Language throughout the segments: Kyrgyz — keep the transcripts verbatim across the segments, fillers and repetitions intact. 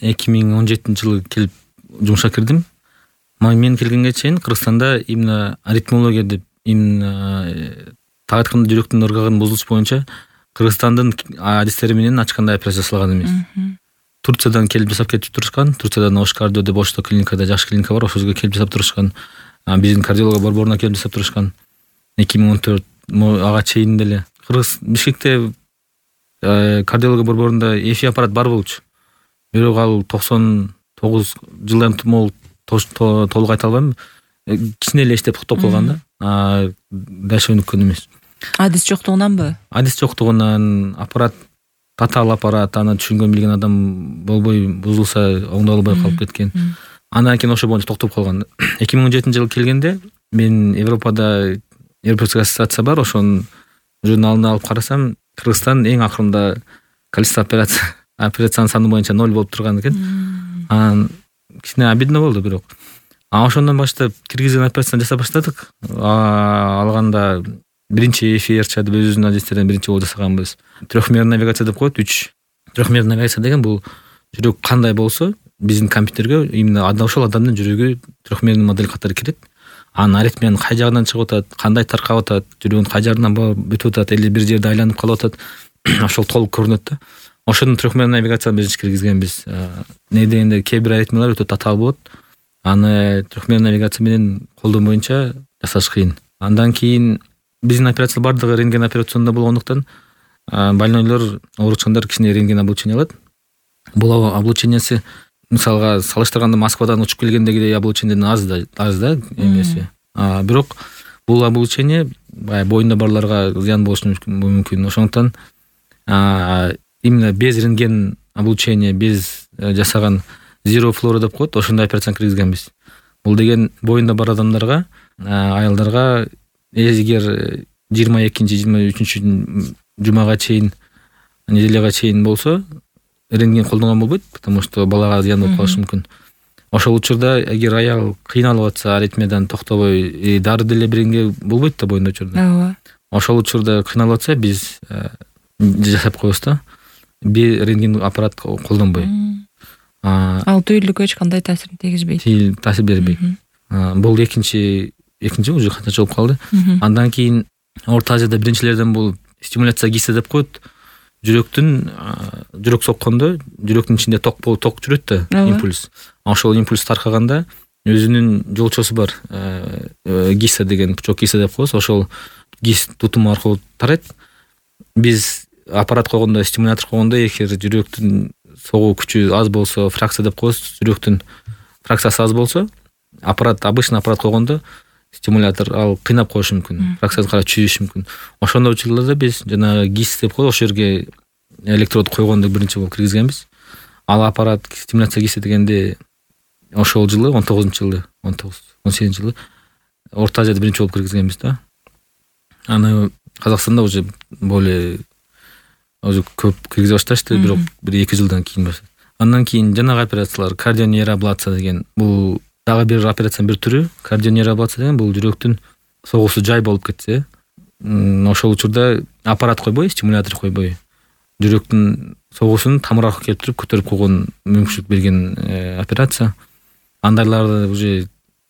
эки миң он жетинчи жылы келип жумушка кирдим. Мен келгенге чейин Кыргызстанда именно аритмология деп, именно так айтканда жүрөктүн ыргагынын бузулушу боюнча Кыргызстандын адистери менен ачкандай операция жасалган эмес. Турциядан келип жасап кетип турушкан. Турциядан Ош кардио деп Ошто клиникада жакшы клиника бар, ошол жерге келип жасап турушкан. Биздин кардиология борборуна келип жасап турушкан. эки миң он төрт ага чейин деле Кыргыз Бишкекте кардиология борборунда эфи аппарат бар болчу. Бирок ал токсон тогуз жылдан могул толук айта албайм. Кичине эле иштеп токтоп калган да. Дальше өнүккөн эмес. Адис жоктугунанбы? Адис жоктугунан, аппарат татаал аппарат, аны түшүнгөн билген адам болбой бузулса оңдоп албай калып кеткен. Андан кийин ошо боюнча токтоп калган. эки миң он жетинчи жылы келгенде мен Европада Европейская ассоциация бар, ошонун журналына алып карасам, Кыргызстан эң акырында количество операция операциянын саны боюнча ноль болуп турган экен. Анан кичине обидно болду бирок. А ошондон баштап киргизген операцияны жасап баштадык. Алганда биринчи эфи эр-ча деп өзүбүздүн адистерден биринчи болуп жасаганбыз. Трехмерный навигация деп коет, үч. Трехмерный навигация деген бул жүрөк кандай болсо, биздин компьютерге именно ошол адамдын жүрөгү трехмерный модель катары кирет. Анын аритмиянын кай жагынан чыгып атат, кандай таркап атат, жүрөгүн кай жагынан бүтүп атат, эле бир жерде айланып калып атат, ошол толук көрүнөт да. Ошонун трехмерный навигацияны биз киргизгенбиз. Не дегенде кээ бир аритмиялар өтө татаал болот. Аны трехмерный навигация менен колдон боюнча жасаш кыйын. Андан кийин биздин операция бардыгы рентген операционда болгондуктан больнойлор, ооручкандар кичине рентген облучение алат. Бул облучениясы мисалга салыштырганда Москвадан учуп келгендегидей облучениеден аз да, аз да эмеси. Бирок бул облучение бай боюнда барларга зыян болушу мүмкүн. Ошондуктан именно без рентген облучения, без жасаган zero флора деп коет, ошондой операцияны киргизгенбиз. Бул деген боюнда бар адамдарга, аялдарга эгер жыйырма экинчи жыйырма үчүнчү жумага чейин, неделяга чейин болсо, рентген колдонгон болбойт, потому что балага зыян болуп калышы мүмкүн. Ошол учурда эгер аял кыйналып атса, аритмиядан токтобой, дары деле беренге болбойт да боюнда учурда. Ооба. Ошол учурда кыйналып атса, биз жасап коебуз да. Бир рентген аппарат колдонбой. Ал түйүлүккө эч кандай таасирин тийгизбейт. Таасир бербейт. Бул экинчи экинчи уже кантча болуп калды. Андан кийин Орто Азияда биринчилерден болуп стимуляция ГИСа деп коет. Жүрөктүн жүрөк соккондо жүрөктүн ичинде ток болуп ток жүрөт да, импульс. Ошол импульс таркаганда өзүнүн жолчосу бар. ГИСа деген, пучок ГИСа деп коебуз. Ошол ГИС тутуму аркылуу тарайт. Биз аппарат койгондо, стимулятор койгондо эгер жүрөктүн согуу күчү аз болсо, фракция деп коебуз, жүрөктүн фракциясы аз болсо, аппарат, обычный аппарат койгондо стимулятор ал кыйнап коюшу мүмкүн. Фракциясы кара чүйүшү мүмкүн. Ошондой учурларда биз жана ГИС деп коебуз, ошол жерге электрод койгондо биринчи болуп киргизгенбиз. Ал аппарат стимуляция ГИСа дегенде ошол жылы он тогузунчу жылы, он тогуз, он сегизинчи жылы Орто Азияда биринчи болуп киргизгенбиз да. Аны Казакстанда уже более уже көп киргизе башташты, бирок бир эки жылдан кийин баштады. Андан кийин жанагы операциялар, кардионейроаблация деген, бул дагы бир операциянын бир түрү. Кардионейроаблация деген бул жүрөктүн согуусу жай болуп кетсе, ошол учурда аппарат койбой, стимулятор койбой, жүрөктүн согуусун тамыр аркылуу келип туруп көтөрүп койгон мүмкүнчүлүк берген операция. Андайларды уже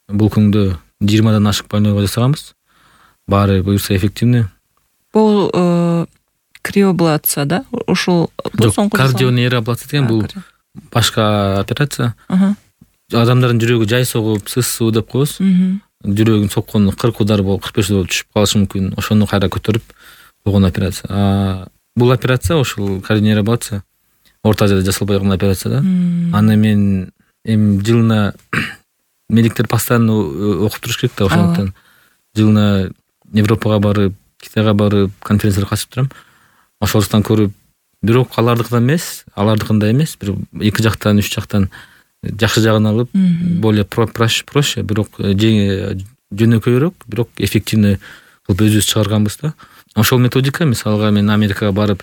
бул күндө жыйырмадан ашык больнойго жасаганбыз. Баары буюрса эффективный. Бул криоаблация да? Ошол кардионейроаблация деген бул башка операция. Адамдардын жүрөгү жай согуп, сысуу деп коебуз. Жүрөгүн соккону кырк удар болуп, кырк беш удар болуп түшүп калышы мүмкүн. Ошону кайра көтөрүп койгон операция. Бул операция, ошол кардионейроаблация Орто Азияда жасалбай калган операция да. Аны мен эми жылына медиктер постоянно окуп туруш керек да, ошондуктан жылына Европага барып, Китайга барып, конференцияга катышып турам. Ошолуктан көрүп, бирок алардыкынан эмес, алардыкында эмес, бир эки жактан, үч жактан жакшы жагын алып, более проще, бирок жөнөкөйрөөк, бирок эффективный кылып өзүбүз чыгарганбыз да. Ошол методика, мисалга мен Америкага барып,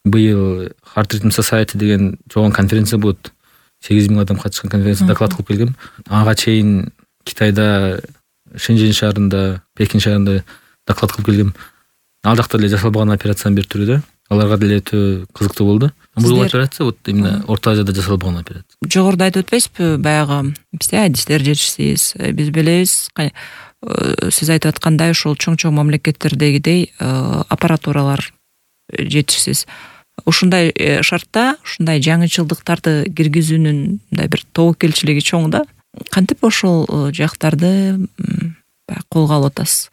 быйыл Heart Rhythm Society деген чогуу конференция болот. сегиз миң адам катышкан конференцияда доклад кылып келгем. Ага чейин Китайда, Шэньчжэнь шаарында, Пекин шаарында доклад кылып келгем. Ал жакта эле жасалбаган операциянын бир түрү да. аларга деле өтө кызыктуу болду. Бул операция вот именно Орто Азияда жасалбаган операция. Жогоруда айтып өтпөйсүзбү, баягы бизде адистер жетишсиз, биз билебиз, сиз айтып аткандай ушул чоң-чоң мамлекеттердегидей аппаратуралар жетишсиз. Ушундай шартта ушундай жаңычылдыктарды киргизүүнүн мындай бир тобокелчилиги чоң да. Кантип ошол жактарды колго алып атасыз?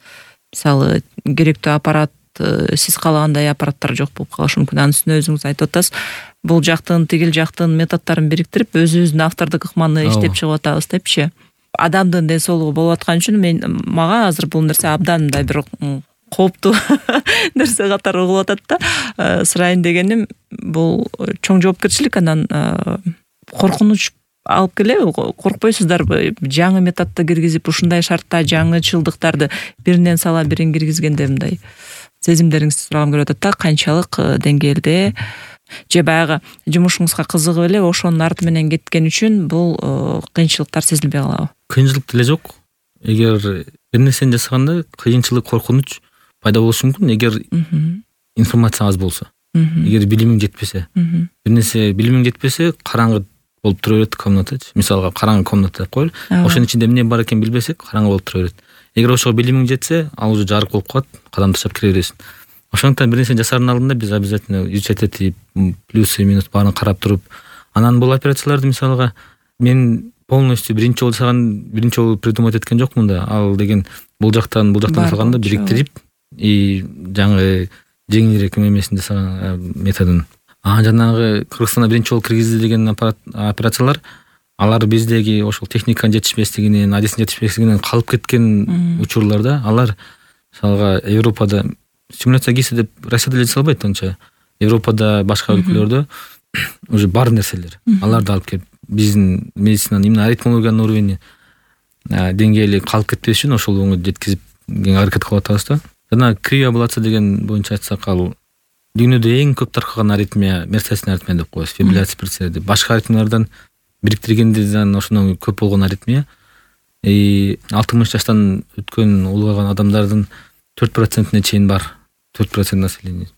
Мисалы, керектүү аппарат, сиз каалагандай аппараттар жок болуп калышы мүмкүн. Анын үстүнө өзүңүз айтып атасыз, бул жактын, тигил жактын методдорун бириктирип, өзүбүздүн автордук ыкманы иштеп чыгып атабыз депчи. Адамдын ден соолугу болуп аткан үчүн мен мага азыр бул нерсе абдан мындай бир кооптуу нерсе катары угулуп атат да. Сурайын дегеним, бул чоң жоопкерчилик, анан коркунуч алып келеби? Коркпойсуздарбы? Жаңы методду киргизип, ушундай шартта жаңычылдыктарды биринен сала бирин киргизгенде мындай сезимдериңизди сурагым келип атат да. Канчалык деңгээлде же баягы жумушуңузга кызыгып эле ошонун арты менен кеткен үчүн бул кыйынчылыктар сезилбей калабы? Кыйынчылык деле жок. Эгер бир нерсени жасаганда кыйынчылык, коркунуч пайда болушу мүмкүн, эгер информация аз болсо. Эгер билимиң жетпесе, бир нерсе билимиң жетпесе, караңгы болуп тура берет комнатачы. Мисалга караңгы комната деп коелу. Ошонун ичинде эмне бар экенин билбесек, караңгы болуп тура берет. Эгер ошого билимиң жетсе, ал уже жарык болуп калат, кадам таштап кире бересиң. Ошондуктан бир нерсени жасаардын алдында биз обязательно изучать этип, плюсы, минус баарын карап туруп, анан бул операцияларды мисалга мен полностью биринчи жолу жасаган, биринчи жолу придумать эткен жокмун да. Ал деген бул жактан, бул жактан жасаганда бириктирип, и жаңы жеңилирээк эмесин жасаган методун. А жанагы Кыргызстанда биринчи жолу киргизилген операциялар, алар биздеги ошол техниканын жетишпестигинен, адистин жетишпестигинен калып кеткен учурларда. Алар мисалга Европада стимуляция кийсе деп Россияда эле жасалбайт анча. Европада, башка өлкөлөрдө уже бар нерселер. Аларды алып келип биздин медицинанын именно аритмологиянын уровени деңгээли калып кетпеш үчүн ошол жеткизип аракет кылып атабыз да. Жана криоаблация деген боюнча айтсак, ал дүйнөдө эң көп таркаган аритмия мерцательный аритмия деп коебуз. Фибрилляция предсердий. Башка аритмиялардан бириктиргенден ошондон көп болгон аритмия. И алтымыш жаштан өткөн улгайган адамдардын төрт процентине чейин бар. төрт процент населения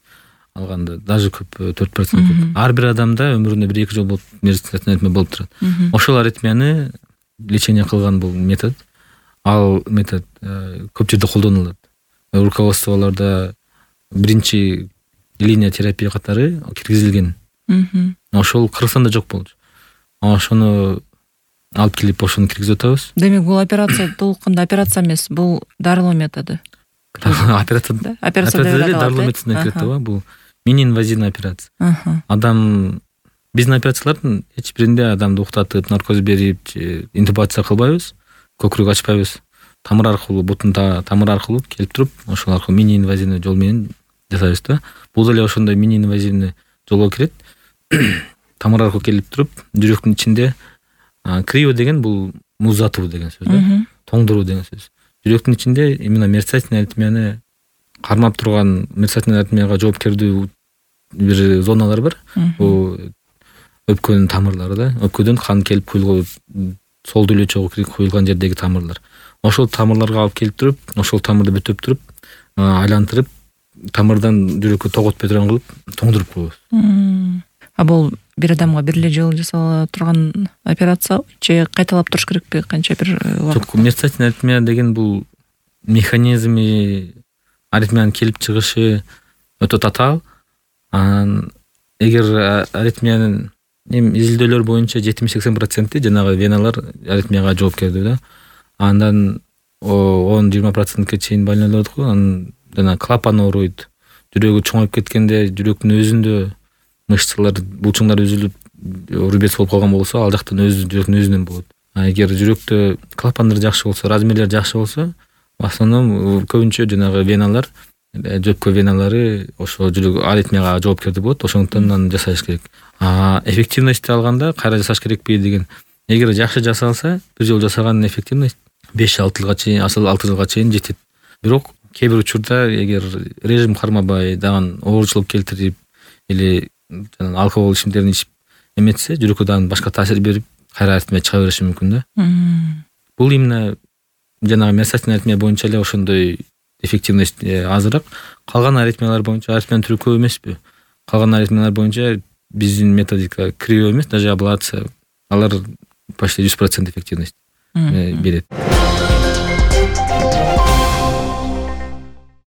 алганда, даже көп, төрт процент көп. Ар бир адамда өмүрүндө бир эки жолу болуп мерцательный аритмия болуп турат. Ошол аритмияны лечение кылган бул метод. Ал метод көп жерде колдонулат. Руководстволордо биринчи линия терапия катары киргизилген. Ошол Кыргызстанда жок болчу. Ошону алып келип ошону киргизип атабыз. Демек бул операция толукунда операция эмес, бул дарылоо методу. Операция операция деле дарылоо методуна кирет да, бул мини инвазивный операция. Адам биздин операциялардын эч биринде адамды уктатып, наркоз берип, интубация кылбайбыз, көкүрөк ачпайбыз. Тамыр аркылуу, бутун тамыр аркылуу келип туруп, ошол аркылуу мини инвазивный жол менен жасайбыз да. Бул деле ошондой мини инвазивный жолго кирет. Тамыр аркылуу келип туруп, жүрөктүн ичинде крио деген бул муздатуу деген сөз да. Тоңдуруу деген сөз. Жүрөктүн ичинде именно мерцательный аритмияны кармап турган, мерцательный аритмияга жоопкердүү бир зоналар бар. Бул өпкөнүн тамырлары да. Өпкөдөн кан келип куюлган, сол деле чогуу куюлган жердеги тамырлар. Ошол тамырларга алып келип туруп, ошол тамырды бүтөп туруп, айлантырып, тамырдан жүрөккө тоготпой турган кылып, тоңдуруп коебуз. А бул бир адамга бир эле жолу жасала турган операция же кайталап туруш керекпи? Канча бир убакыт? Жок, мерцательный аритмия деген бул механизми, аритмиянын келип чыгышы өтө татаал. Анан эгер аритмиянын эми изилдөөлөр боюнча жетимиш-сексен проценти жанагы веналар аритмияга жоопкердүү да. Андан он-жыйырма процентке чейин больнойлор го. Анан жана клапан ооруйт. Жүрөгү чоңоюп кеткенде жүрөктүн өзүндө мышцалар, булчуңдар үзүлүп, рубец болуп калган болсо, ал жактан өзү жүрөктүн өзүнөн болот. А эгер жүрөктө клапандар жакшы болсо, размерлер жакшы болсо, в основном көбүнчө жанагы веналар, жөпкө веналары ошо жүрөк аритмияга жоопкердүү болот. Ошондуктан аны жасаш керек. А эффективности алганда кайра жасаш керекпи деген. Эгер жакшы жасалса, бир жолу жасаган эффективность беш-алты жылга чейин, асыл алты жылга чейин жетет. Бирок кээ бир учурда эгер режим кармабай, дагы ооручулук келтирип или жана алкогол ичимдиктерин ичип эметсе, жүрөккө дагы башка таасир берип, кайра аритмия чыга бериши мүмкүн да. Бул именно жанагы мерцательный аритмия боюнча эле ошондой эффективность азыраак. Калган аритмиялар боюнча аритмиянын түрү көп эмеспи. калган аритмиялар боюнча биздин методика кривой эмес, даже аблация, алар почти жүз процент эффективность берет.